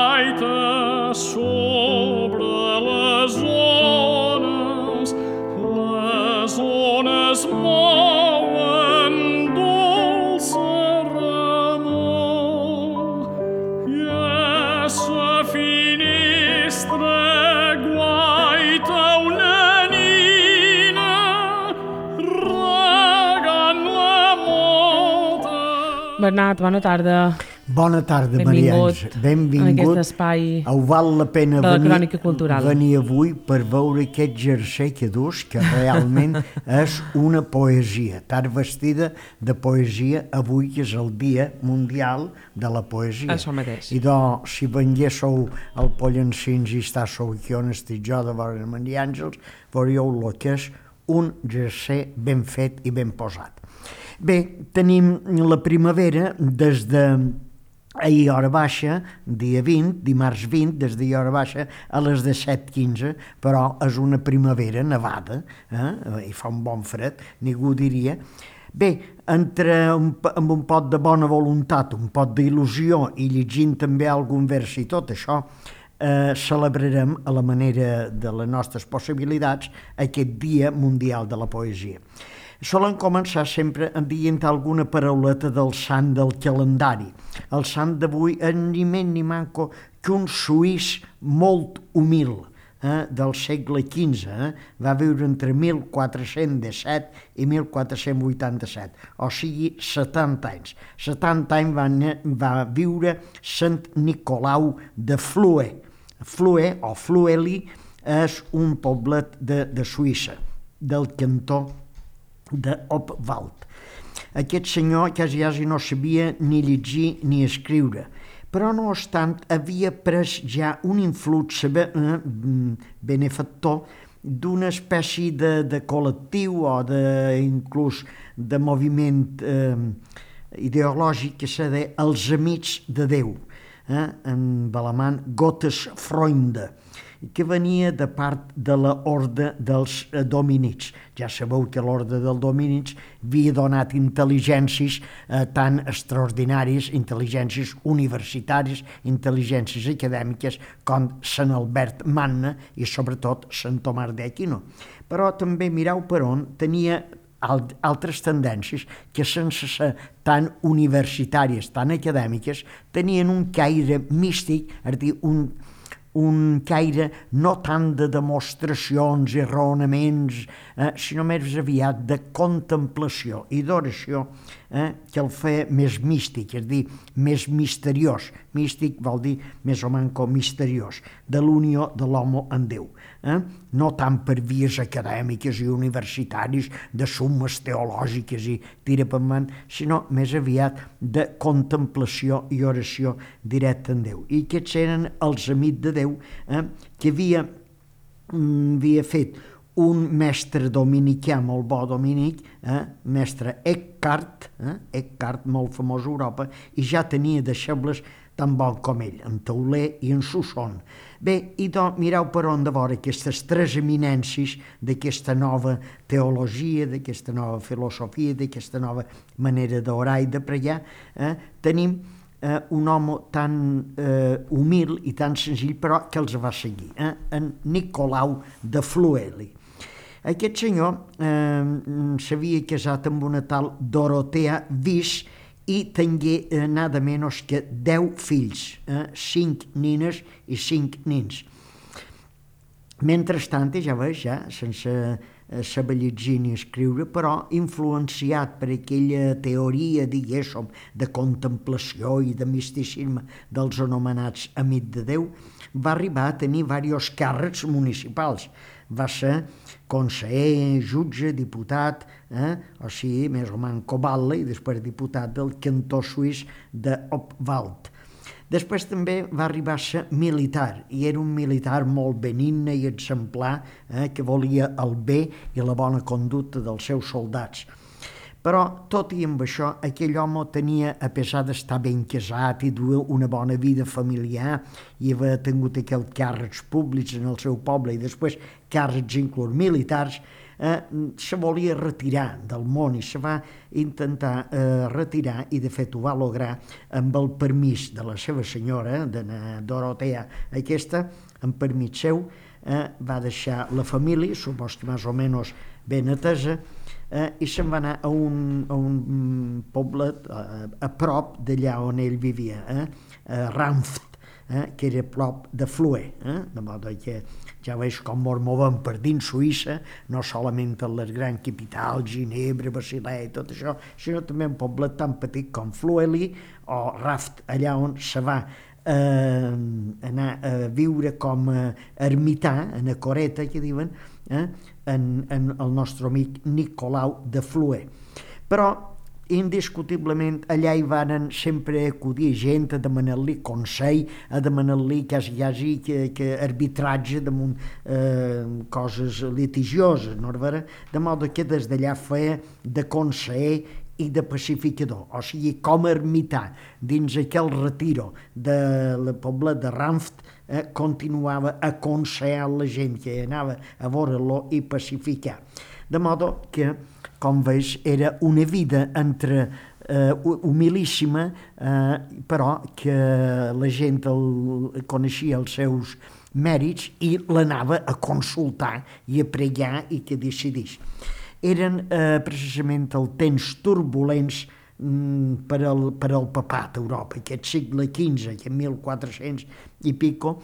gaita sobre les ones mouen dolça remor, i a sa finestra guaita una nina regant la mota. Bernat, bona tarda. Bona tarda, Maria Àngels. Benvingut en aquest espai val la pena de la crònica cultural. Venir avui per veure aquest jersei que dus, que realment és una poesia. Estar vestida de poesia avui, que és el Dia Mundial de la Poesia. Això mateix. I doncs, si venguéssiu al Pollancins i estàssiu aquí on estic jo de veure Maria Àngels, veuríeu el que és un jersei ben fet i ben posat. Bé, tenim la primavera des de ahir hora baixa, dia 20, dimarts 20, des d'ahir hora baixa a les 17:15, però és una primavera nevada, i fa un bon fred, ningú diria. Bé, amb un pot de bona voluntat, un pot d'il·lusió i llegint també algun vers i tot això, celebrarem a la manera de les nostres possibilitats aquest Dia Mundial de la Poesia. Solen començar sempre dient alguna parauleta del sant del calendari. El sant d'avui és ni més ni manco que un suís molt humil del segle XV. Va viure entre 1417 i 1487, o sigui 70 anys. 70 anys va viure Sant Nicolau de Flue. Flue o Flueli és un poblet de Suïssa, del cantó d'Obwald. Aquest senyor quasi no sabia ni llegir ni escriure, però no obstant havia pres ja un influx benefactor d'una espècie de col·lectiu o inclús de moviment ideològic que se deia els Amics de Déu, en alemany Gottesfreunde, que venia de part de l'orde dels dominics. Ja sabeu que l'orde dels dominics havia donat intel·ligències tan extraordinàries, intel·ligències universitàries, intel·ligències acadèmiques, com Sant Albert Magna i sobretot Sant Tomàs d'Aquino. Però també mireu per on tenia altres tendències que sense ser tan universitàries, tan acadèmiques, tenien un caire místic, és a dir, un caire no tant de demostracions i raonaments, sinó més aviat de contemplació i d'oració, que el feia més místic, és a dir, més misteriós. Místic vol dir més o menys misteriós, de l'unió de l'home amb Déu. No tant per vies acadèmiques i universitàries, de sumes teològiques i tira per man, sinó més aviat de contemplació i oració directa en Déu. I aquests eren els amics de Déu que havia fet un mestre dominicà molt bo dominic, mestre Eckhart, molt famós a Europa, i ja tenia deixebles tan bon com ell, en Tauler i en Susson. Bé, i doncs mireu per on de veure aquestes tres eminències d'aquesta nova teologia, d'aquesta nova filosofia, d'aquesta nova manera d'orar i de pregar, tenim un home tan humil i tan senzill, però que els va seguir, en Nicolau de Flueli. Aquest senyor s'havia casat amb una tal Dorotea Vis i tingué nada menys que 10 fills, 5 nines i 5 nins. Mentrestant, ja veus, sense saber llegir ni escriure, però influenciat per aquella teoria, diguéssim, de contemplació i de misticisme dels anomenats amics de Déu, va arribar a tenir diversos càrrecs municipals. Va ser conseller, jutge, diputat, o sigui, més o menys coballe, i després diputat del cantó suís d'Obwald. Després també va arribar a ser militar, i era un militar molt benigne i exemplar, que volia el bé i la bona conducta dels seus soldats. Però, tot i amb això, aquell home tenia, a pesar d'estar ben casat i dur una bona vida familiar i haver tingut aquells càrrecs públics en el seu poble i després càrrecs inclús militars, se volia retirar del món i se va intentar retirar, i de fet ho va lograr amb el permís de la seva senyora, de Dorotea aquesta, amb permís seu, va deixar la família, supos que més o menys ben atesa, i se'n va anar a un poblet a prop d'allà on ell vivia, Ranft, que era a prop de Flue, de modo que ja veus com ens movem per dins Suïssa, no solament en les grans capitals, Ginebra, Basilea i tot això, sinó també un poblet tan petit com Flueli o Raft, allà on se va anar a viure com a ermità, en a coreta, que diuen, en el nostre amic Nicolau de Flue. Però indiscutiblement allà hi van sempre acudir gent a demanar-li consell, a demanar-li quasi que arbitratge damunt coses litigioses, no és vera? De modo que des d'allà feia de conseller i de pacificador, o sigui, com a ermità dins aquell retiro del poble de Ranft, continuava aconsellant la gent que anava a veure-lo i pacificar. De modo que, com veus, era una vida entre humilíssima, però que la gent coneixia els seus mèrits i l'anava a consultar i a pregar i que decidís. Eren precisament els temps turbulents per al papat a Europa, aquest segle XV, aquest 1400 i pico,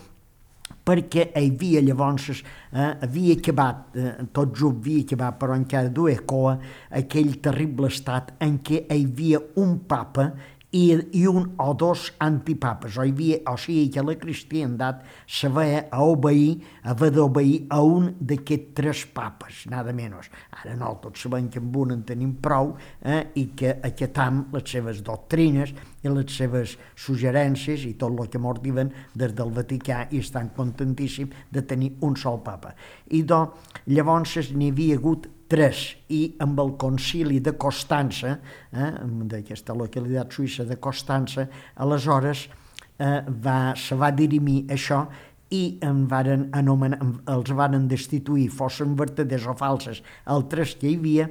perquè hi havia llavors, havia acabat, tot just havia acabat, però encara duia coa, aquell terrible estat en què hi havia un papa i un o dos antipapes, o sigui que la cristiandat s'havia haver d'obeir a un d'aquests tres papes, nada menys. Ara no, tots sabem que amb un en tenim prou i que acatam les seves doctrines i les seves suggerències i tot el que mos diuen des del Vaticà i estan contentíssims de tenir un sol papa. I llavors n'hi havia hagut tres, i amb el concili de Constança, d'aquesta localitat suïssa de Constança, aleshores se va dirimir això i els varen destituir, fossin vertaders o falses, els tres que hi havia,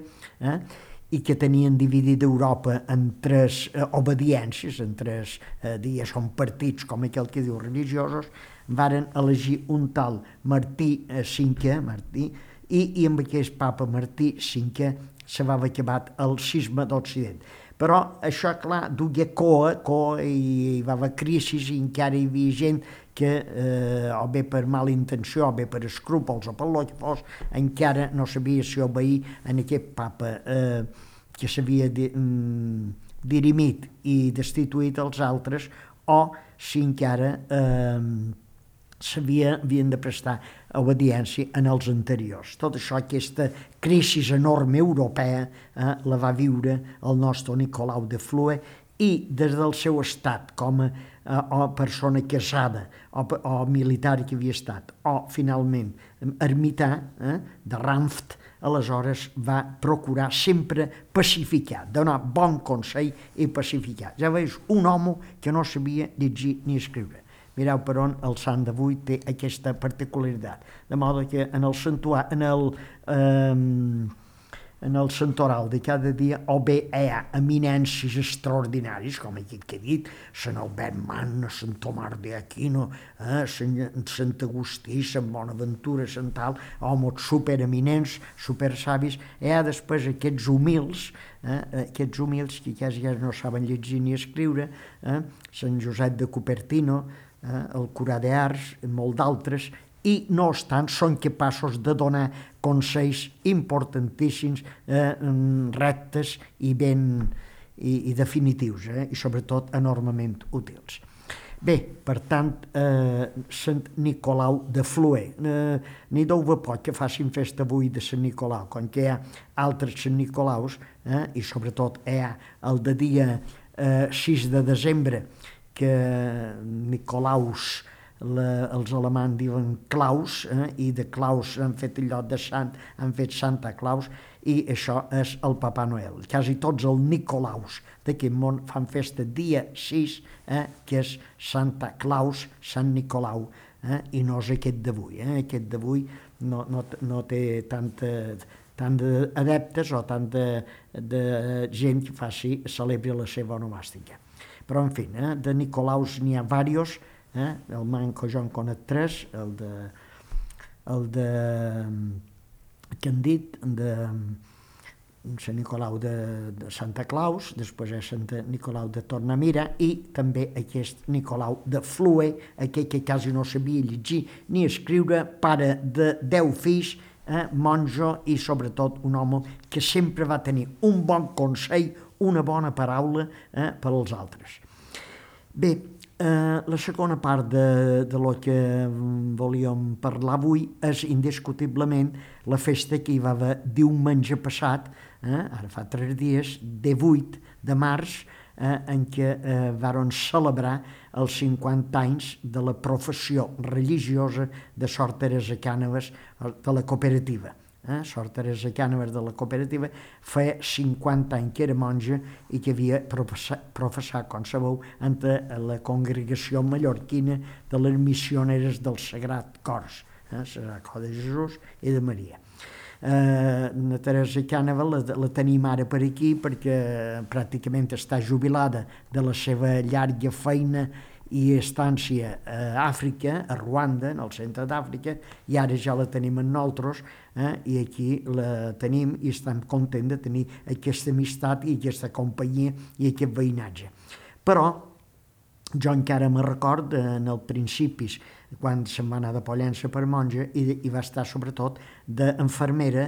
i que tenien dividida Europa en tres obediències, en tres dies, són partits, com aquell que diu religiosos, varen elegir un tal Martí V, i amb aquest papa Martí V se va acabat el cisma d'Occident. Però això, clar, duia coa i hi va haver crisis i encara hi havia gent que, o bé per mala intenció, o bé per escrúpols o per lo que fos, encara no sabia si obeir en aquest papa que s'havia dirimit i destituït els altres, o si encara havien de prestar obediència en els anteriors. Tot això, aquesta crisi enorme europea, la va viure el nostre Nicolau de Flue, i des del seu estat com a persona casada o militar que havia estat, o finalment ermità de Ranft, aleshores va procurar sempre pacificar, donar bon consell i pacificar. Ja veus, un home que no sabia llegir ni escriure. Mireu per on el sant d'avui té aquesta particularitat. De modo que en el santoral de cada dia o bé hi ha eminències extraordinàries, com aquest que he dit, Sant Albert Magna, Sant Tomàs d'Aquino, Sant Agustí, Sant Bonaventura, Sant tal, homes supereminents, supersavis. Hi ha després aquests humils que quasi no saben llegir ni escriure, Sant Josep de Cupertino, el Curà d'Ars, molt d'altres, i no obstant són capaços de donar consells importantíssims, rectes i definitius, i sobretot enormement útils. Bé, per tant, Sant Nicolau de Flue. N'hi deu poc que facin festa avui de Sant Nicolau, com que hi ha altres Sant Nicolaus, i sobretot hi ha el de dia 6 de desembre, que Nicolaus, els alemanys diuen Claus, i de Claus han fet allò de sant, han fet Santa Claus, i això és el Papa Noel. Quasi tots els Nicolaus d'aquest món fan festa dia 6, que és Santa Claus, Sant Nicolau, i no és aquest d'avui. Aquest d'avui no té tant d'adeptes o tant de gent que celebri la seva onomàstica. Però, en fi, de Nicolaus n'hi ha diversos, el manco jo en conec 3, el de que han dit, de Sant Nicolau de Santa Claus, després és Sant Nicolau de Tornamira i també aquest Nicolau de Flue, aquell que quasi no sabia llegir ni escriure, pare de 10 fills, monjo i sobretot un home que sempre va tenir un bon consell, una bona paraula per als altres. Bé, la segona part de lo que volíem parlar avui és indiscutiblement la festa que hi va haver diumenge passat, ara fa 3 dies, 18 de març, en què varen celebrar els 50 anys de la professió religiosa de Sor Teresa Cànoves de la cooperativa. Sor Teresa Cànoves de la cooperativa feia 50 anys que era monja i que havia professat, com sabeu, entre la congregació mallorquina de les missioneres del Sagrat Cors, Sagrat Cor de Jesús i de Maria. La Teresa Cànoves la tenim ara per aquí perquè pràcticament està jubilada de la seva llarga feina i estància a Àfrica, a Ruanda, en el centre d'Àfrica, i ara ja la tenim en nosaltres, i aquí la tenim i estem contents de tenir aquesta amistat i aquesta companyia i aquest veïnatge. Però jo encara me record en els principis, quan se'n va anar de Pollença per monja, i va estar sobretot d'infermera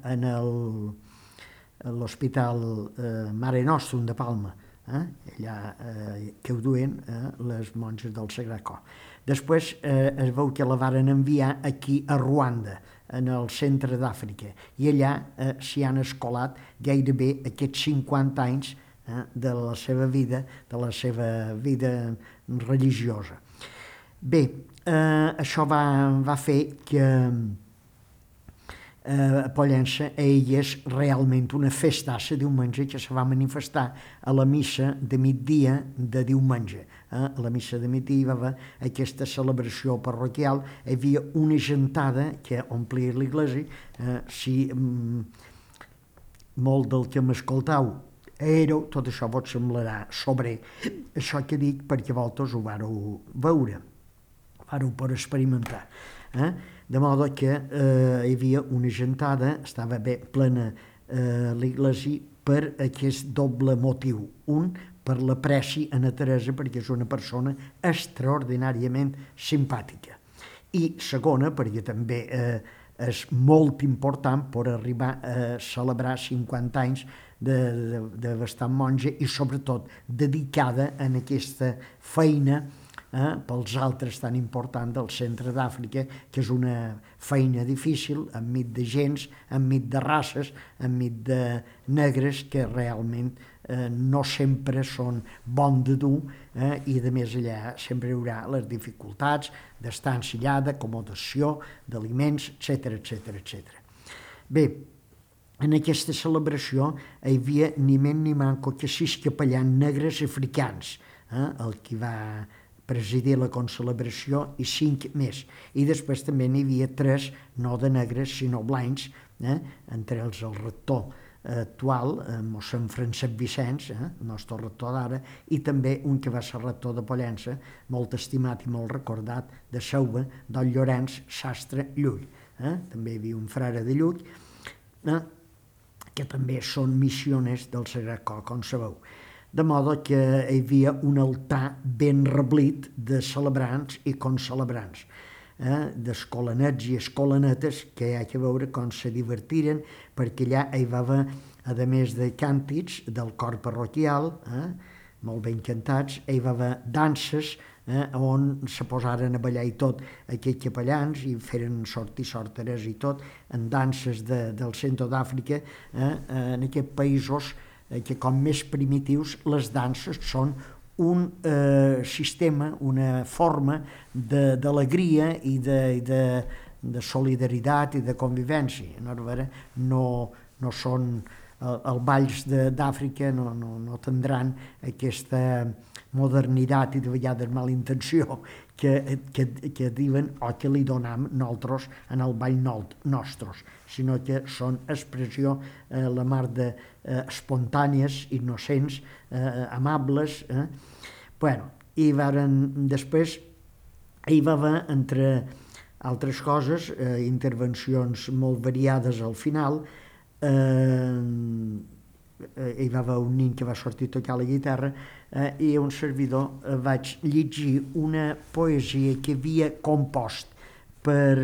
en l'Hospital Mare Nostrum de Palma, allà que ho duen les monges del Sagrat Cor. Després es veu que la varen enviar aquí a Ruanda, en el centre d'Àfrica, i allà s'hi han escolat gairebé aquests 50 anys de la seva vida religiosa. Bé, això va fer que a Pollença és realment una festassa diumenge que se va manifestar a la missa de migdia de diumenge. A la missa de migdia hi va haver aquesta celebració parroquial, hi havia una gentada que omplia l'església. Si molt del que m'escoltau éreu, tot això vos semblarà sobre això que dic perquè vosaltres ho vareu veure, vareu per experimentar. De modo que hi havia una gentada, estava bé plena l'església per aquest doble motiu. Un, per l'apreci a na Teresa, perquè és una persona extraordinàriament simpàtica. I segona, perquè també és molt important per arribar a celebrar 50 anys de bastant monja i sobretot dedicada en aquesta feina pels altres tan important del centre d'Àfrica, que és una feina difícil, enmig de gens, enmig de races, enmig de negres que realment no sempre són bons de dur, i a més allà sempre hi haurà les dificultats d'estar ensillada, acomodació, d'aliments, etc. Bé, en aquesta celebració hi havia ni menys ni manco que 6 capellans negres africans, el que va presidir la concelebració i 5 més. I després també n'hi havia 3, no de negres, sinó blancs, entre ells el rector actual, mossèn Francesc Vicenç, el nostre rector d'ara, i també un que va ser rector de Pollença, molt estimat i molt recordat, de Seuva, don Llorenç Sastre Llull. També hi havia un frare de Llull, que també són missioners del Sagrat Cor, com sabeu. De modo que hi havia un altar ben reblit de celebrants i concelebrants, d'escolanets i escolanetes, que hi ha que veure com se divertiren, perquè allà hi va haver, a més de càntics del cor parroquial, molt ben cantats, hi va haver danses, on se posaren a ballar i tot aquests capellans i feren sorteres i tot, en danses del centre d'Àfrica, en aquests països que com més primitius les danses són un sistema, una forma d'alegria i de solidaritat i de convivència. No són els balls d'Àfrica, no tindran aquesta modernitat i de vegades mala intenció que diuen o que li donam nosaltres en el ball nostres, sinó que són expressió la mar de espontànies, innocents, amables. Bueno, i després hi va haver, entre altres coses, intervencions molt variades al final. Hi va haver un nen que va sortir a tocar la guitarra i un servidor vaig llegir una poesia que havia compost per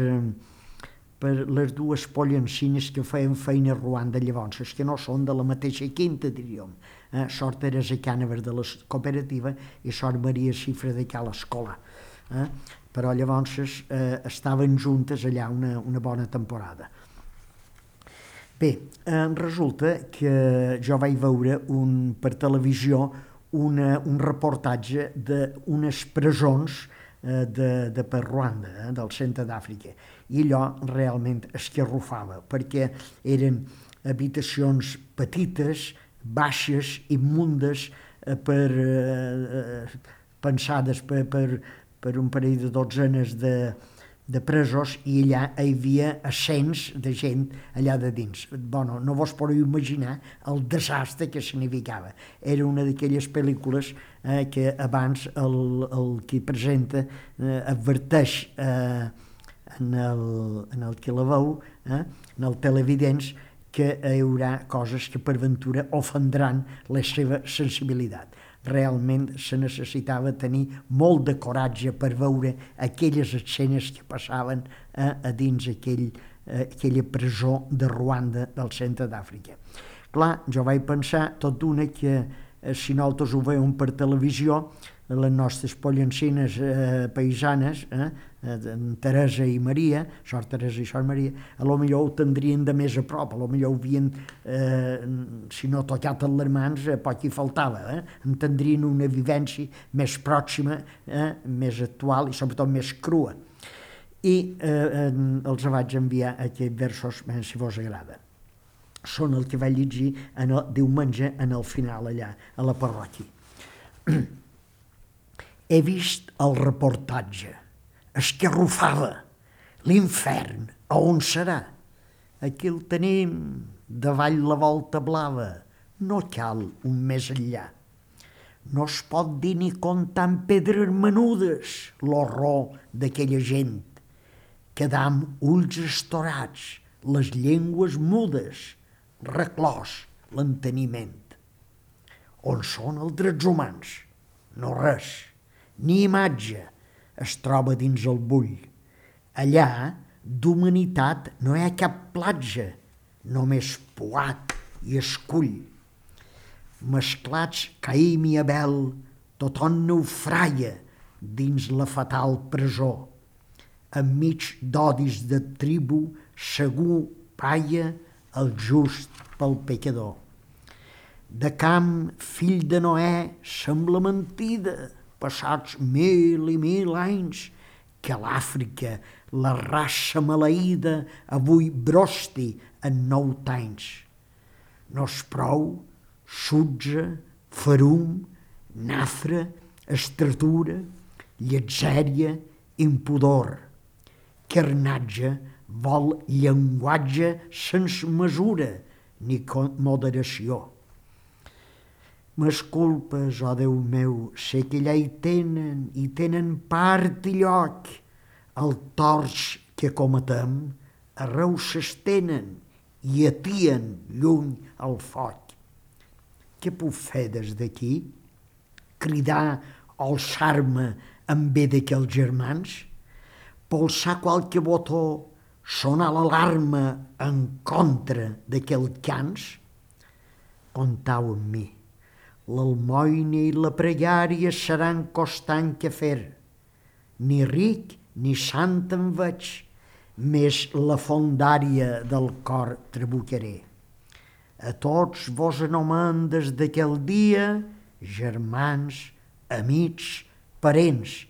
les dues pollencines que feien feina a Ruanda llavors, que no són de la mateixa quinta, diríem. Sort Teresa Cànavers de la cooperativa i Sort Maria Xifra de Cal Escola. Però llavors estaven juntes allà una bona temporada. Bé, resulta que jo vaig veure per televisió un reportatge d'unes presons de per Ruanda, del centre d'Àfrica, i allò realment escarrufava, perquè eren habitacions petites, baixes, immundes, pensades per un parell de dotzenes de presos, i allà hi havia ascens de gent allà de dins. Bueno, no vos podeu imaginar el desastre que significava. Era una d'aquelles pel·lícules que abans el qui presenta adverteix en el que la veu, en el televidents, que hi haurà coses que per ventura ofendran la seva sensibilitat. Realment se necessitava tenir molt de coratge per veure aquelles escenes que passaven a dins aquella presó de Ruanda del centre d'Àfrica. Clar, jo vaig pensar tot d'una que si nosaltres ho veiem per televisió, les nostres pollencines paisanes, Teresa i Maria, Sort Teresa i Sort Maria, a lo millor ho tindrien de més a prop, a lo millor ho havien, si no tocat en les mans, poc hi faltava, en tindrien una vivència més pròxima, més actual i sobretot més crua. I els vaig enviar aquests versos, si vos agrada. Són el que vaig llegir diumenge en el final allà, a la parròquia. He vist el reportatge, escarrufada, l'infern, a on serà? Aquí el tenim, davall la volta blava, no cal un més enllà. No es pot dir ni comptar amb pedres menudes l'horror d'aquella gent, quedar amb ulls estorats, les llengües mudes, reclòs l'enteniment. On són els drets humans? No res. Ni imatge es troba dins el bull. Allà, d'humanitat, no hi ha cap platja, només poat i escull. Mesclats Caïm i Abel, tothom naufraia dins la fatal presó. Enmig d'odis de tribu, segur palla el just pel pecador. De Camp, fill de Noè, sembla mentida, passats 1000 i 1000 anys, que l'Àfrica, la raça maleïda, avui brosti en 9 anys. No és prou sutge, ferum, nafra, estratura, lletzèria, impudor. Carnatge vol llenguatge sense mesura ni moderació. M'esculpes, oh Déu meu, sé que allà hi tenen part i lloc. El torç que cometem arreu s'estenen i atien lluny el foc. Què puc fer des d'aquí? Cridar o alçar-me en bé d'aquells germans? Polsar qualque botó, sonar l'alarma en contra d'aquells cans? Comptau amb mi. L'almoina i la pregària seran costant que fer. Ni ric ni sant en veig, més la fondària del cor trabucaré. A tots vos anomen des d'aquell dia germans, amics, parents,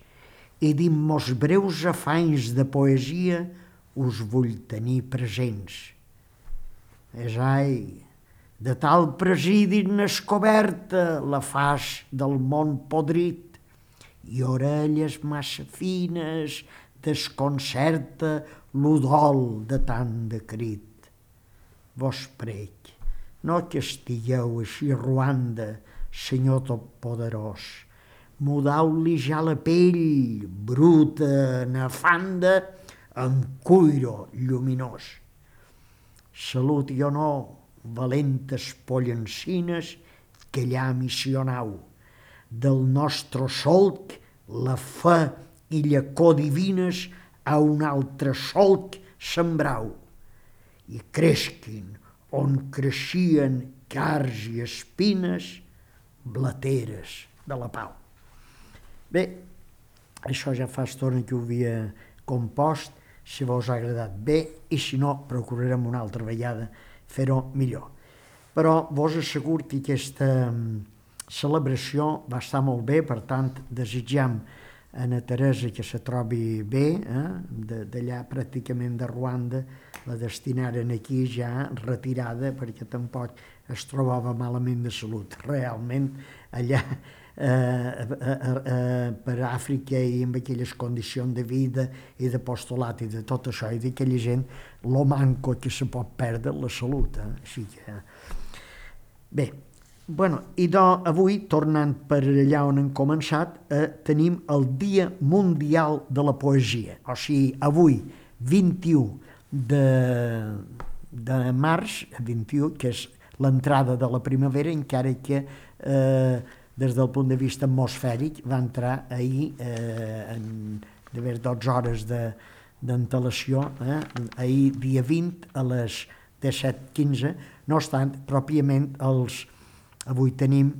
i dins mos breus afanys de poesia us vull tenir presents. Esai, de tal presidi inescoberta la faç del món podrit, i orelles massa fines desconcerta l'udol de tant de crit. Vos prec, no que estigueu així ruanda, senyor totpoderós, mudau-li ja la pell, bruta, nefanda, en cuiro lluminós. Salut i honor, valentes pollencines, que allà missionau. Del nostre solc la fe i llacó divines a un altre solc sembrau. I cresquin on creixien cars i espines, blateres de la pau. Bé, això ja fa estona que ho havia compost, si vos ha agradat bé, i si no, procurarem una altra vegada fer-ho millor. Però vos asseguro que aquesta celebració va estar molt bé, per tant, desitjam a na Teresa que se trobi bé, d'allà pràcticament de Ruanda, la destinaren aquí ja retirada perquè tampoc es trobava malament de salut. Realment, allà per Àfrica i amb aquelles condicions de vida i d'apostolat i de tot això i d'aquella gent, lo manco que se pot perdre la salut. Així que... Bé, bueno, i avui, tornant per allà on hem començat, tenim el Dia Mundial de la Poesia. O sigui, avui, 21 de març, 21, que és l'entrada de la primavera, encara que des del punt de vista atmosfèric va entrar ahir d'haver 12 hores d'antelació, ahir dia 20 a les 17:15. No obstant, pròpiament avui tenim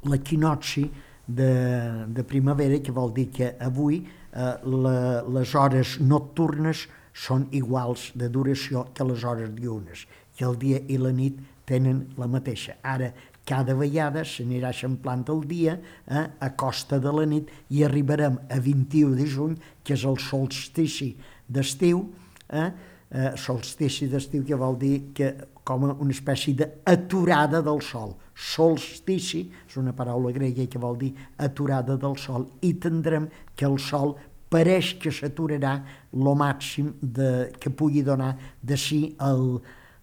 l'equinocci de primavera, que vol dir que avui les hores nocturnes són iguals de duració que les hores diurnes, que el dia i la nit tenen la mateixa. Ara, cada vegada s'anirà eixamplant el dia a costa de la nit i arribarem a 21 de juny, que és el solstici d'estiu. Solstici d'estiu, que vol dir que com una espècie d'aturada del sol. Solstici és una paraula grega que vol dir aturada del sol, i tindrem que el sol pareix que s'aturarà el màxim que pugui donar de si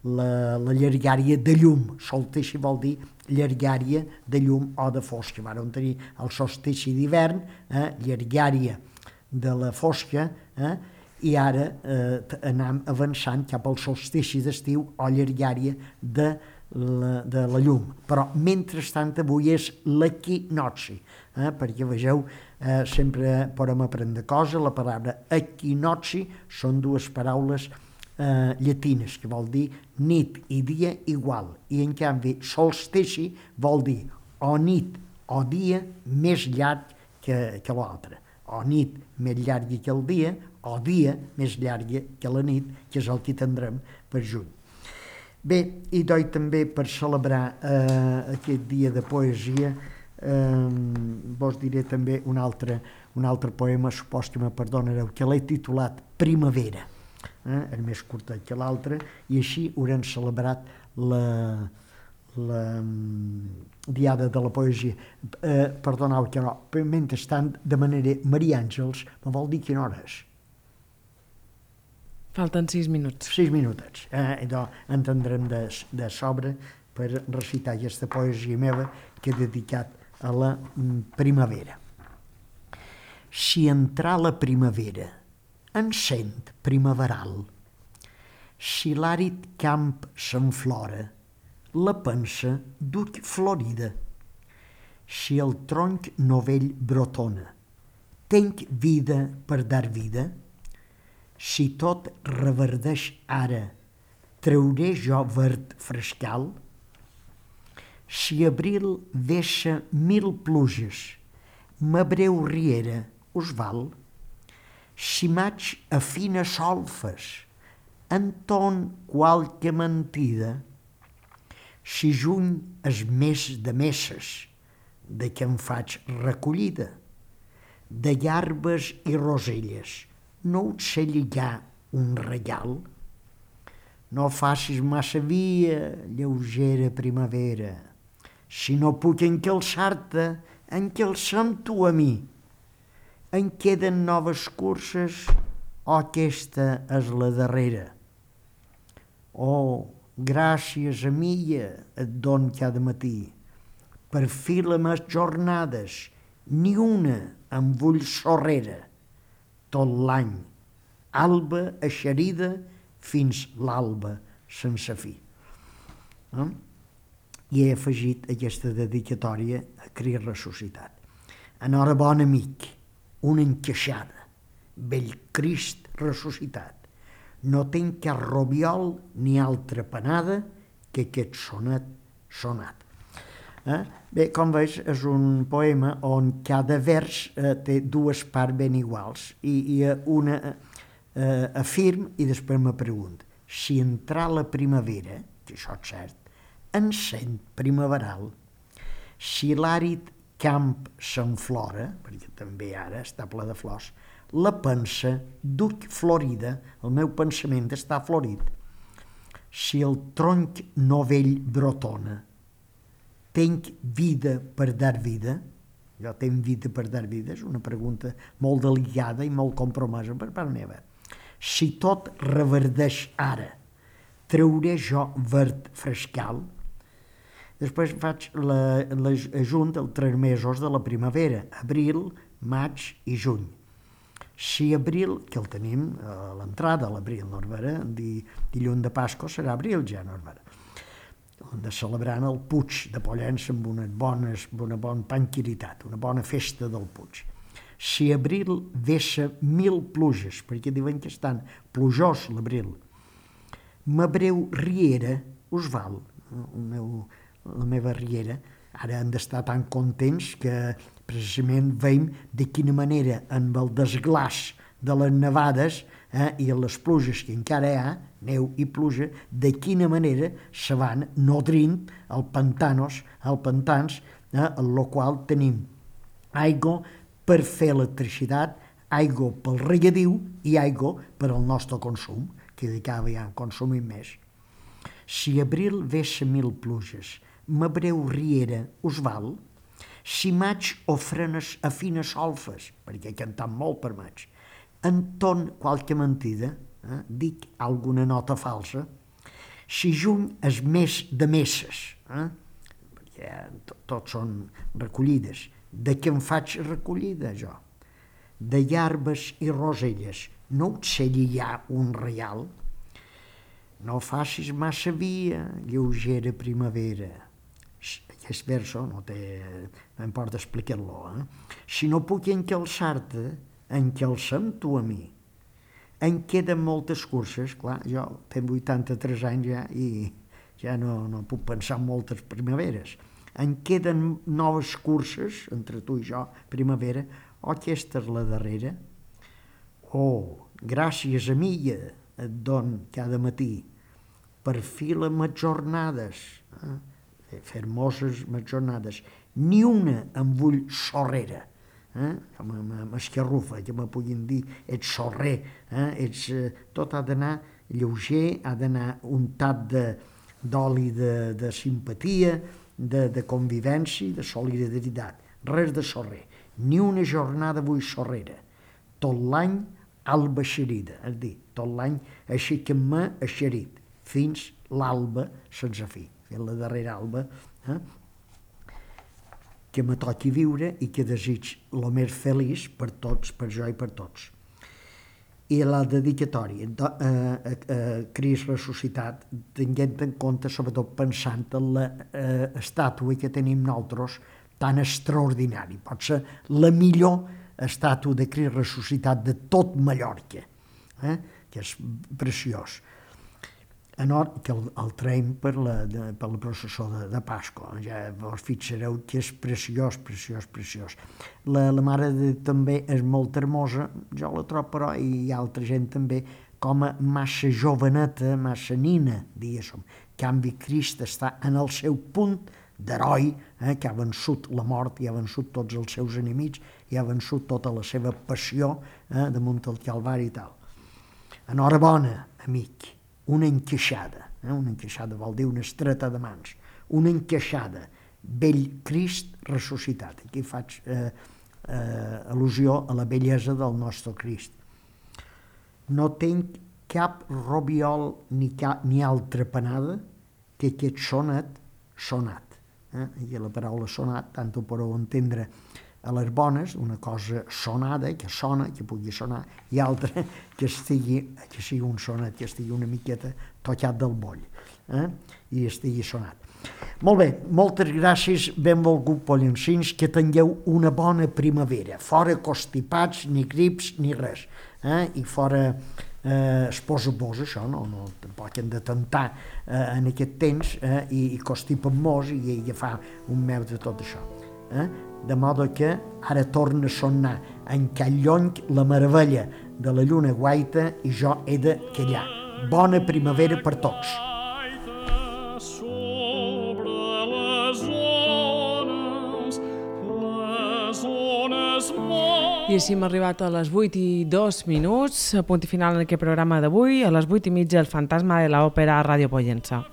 la llargària de llum. Solstici vol dir llargària de llum o de fosca. Vam tenir el solstici d'hivern, llargària de la fosca, i ara anem avançant cap al solstici d'estiu o llargària de la llum. Però, mentrestant, avui és l'equinocci, perquè, vegeu, sempre podem aprendre coses. La paraula equinocci són dues paraules llatines, que vol dir nit i dia igual, i en canvi solstici vol dir o nit o dia més llarg que l'altre, o nit més llarga que el dia, o dia més llarga que la nit, que és el que tindrem per juny. Bé, i també per celebrar aquest dia de poesia, vos diré també un altre poema, supos que me perdonareu, que l'he titulat Primavera, és més curtet que l'altre, i així haurem celebrat la Diada de la Poesia. Perdoneu que no, mentrestant demanaré Maria Àngels, me vol dir quina hora és? Falten 6 minuts. 6 minutets. Entendrem de sobre per recitar aquesta poesia meva que he dedicat a la primavera. Si entrà la primavera, encent primaveral, si l'àrid camp s'enflora, la pensa duc florida, si el tronc novell brotona, tenc vida per dar vida, si tot reverdeix ara, trauré jo verd frescal, si abril deixa 1000 pluges, m'abreu riera, us val? Si maig afina solfes, enton qualque mentida, si juny és mes de messes, de què em faig recollida, de llarbes i roselles, no us sé lligar un regal? no facis massa via, lleugera primavera. Si no puc encalçar-te, encalça'm tu a mi. En queden noves curses, o aquesta és la darrera. Oh, gràcies, amiga, et don cada matí. Per fi les meves jornades, ni una em vull sorrera. Tot l'any, alba eixerida fins l'alba sense fi. I he afegit aquesta dedicatòria a Crist ressuscitat. Enhorabona, amic, una encaixada, vell Crist ressuscitat. No tenc cap robiol ni altra panada que aquest sonet sonat. Bé, com veus, és un poema on cada vers té dues parts ben iguals i una afirm i després me pregunto si entrar la primavera, que això és cert, encén primaveral, si l'àrid camp s'enflora, perquè també ara està ple de flors, la pensa duc florida, el meu pensament està florit. Si el tronc novell brotona, tenc vida per dar vida? Jo tenc vida per dar vida? És una pregunta molt delicada i molt compromesa per part meva. Si tot reverdeix ara, trauré jo verd frescal? Després faig l'ajunt dels 3 mesos de la primavera, abril, maig i juny. Si abril, que el tenim a l'entrada, a l'abril, Norbera, dilluns de Pasqua serà abril ja, Norbera, de celebrant el Puig de Pollença amb una bona panquiritat, una bona festa del Puig. Si abril vessa 1000 pluges, perquè diuen que estan plujós l'abril, ma breu riera us val, la meva riera, ara han d'estar tan contents que precisament veiem de quina manera amb el desglàs de les nevades i les pluges que encara hi ha, neu i pluja, de quina manera se van nodrint els pantans, en el qual tenim aigua per fer electricitat, aigua pel regadiu i aigua per al nostre consum, que de cada vegada consumim més. Si abril vessa 1000 pluges, ma breu riera us val? Si maig ofrenes a fines solfes, perquè he cantat molt per maig, enton qualque mentida, dic alguna nota falsa, si juny és mes de messes, perquè tots són recollides, de què em faig recollida jo? De llarbes i roselles, no et sé lligar un reial? No facis massa via, lleugera primavera. Aquest verso no importa explicar-lo. Si no puc encalçar-te, encalça'm tu a mi. En queden moltes curses, clar, jo tinc 83 anys ja i ja no puc pensar en moltes primaveres. En queden noves curses, entre tu i jo, primavera, o aquesta és la darrera? Oh, gràcies, amiga, et don cada matí. Per fi les meves jornades, fermoses meves jornades, ni una em vull sorrera, m'escarrufa, que me puguin dir, ets sorrer, tot ha d'anar lleuger, ha d'anar untat d'oli de simpatia, de convivència, de solidaritat, res de sorrer, ni una jornada vull sorrera, tot l'any alba eixerida, és a dir, tot l'any aixequem-me eixerit, fins l'alba sense fi, fins la darrera alba, que me toqui viure i que desig el més feliç per tots, per jo i per tots. I la dedicatòria a Crist ressuscitat, tenint en compte, sobretot pensant en l'estàtua que tenim nosaltres tan extraordinari. Pot ser la millor estàtua de Crist ressuscitat de tot Mallorca, que és preciós. Que el traiem per la processó de Pasqua. Ja vos fixareu que és preciós, preciós, preciós. La Mare de Déu també és molt hermosa, jo la trobo, però, i altra gent també, com a massa joveneta, massa nina, diguéssim. En canvi, Crist està en el seu punt d'heroi, que ha vençut la mort, i ha vençut tots els seus enemics, i ha vençut tota la seva passió damunt el Calvari i tal. Enhorabona, amic. una encaixada. Una encaixada vol dir una estreta de mans. Una encaixada, vell Crist ressuscitat. Aquí faig al·lusió a la bellesa del nostre Crist. No tinc cap robiol ni altra panada que aquest sonat. I la paraula sonat, tant ho podeu entendre a les bones, una cosa sonada, que sona, que pugui sonar, i altra que sigui un sonat, que estigui una miqueta tocat del boll, i estigui sonat. Molt bé, moltes gràcies, benvolgut pollancins, que tingueu una bona primavera, fora constipats, ni grips, ni res, i fora esposa-vos, això, no, tampoc hem de tentar en aquest temps, i constipen-mos i agafar un meu de tot això. De modo que ara torna a sonar en Callonc la meravella de la lluna guaita i jo he de callar. Bona primavera per tots. I així hem arribat a les 8:02, a punt i final en aquest programa d'avui. A les 8:30 el fantasma de l'òpera a Ràdio Pollença.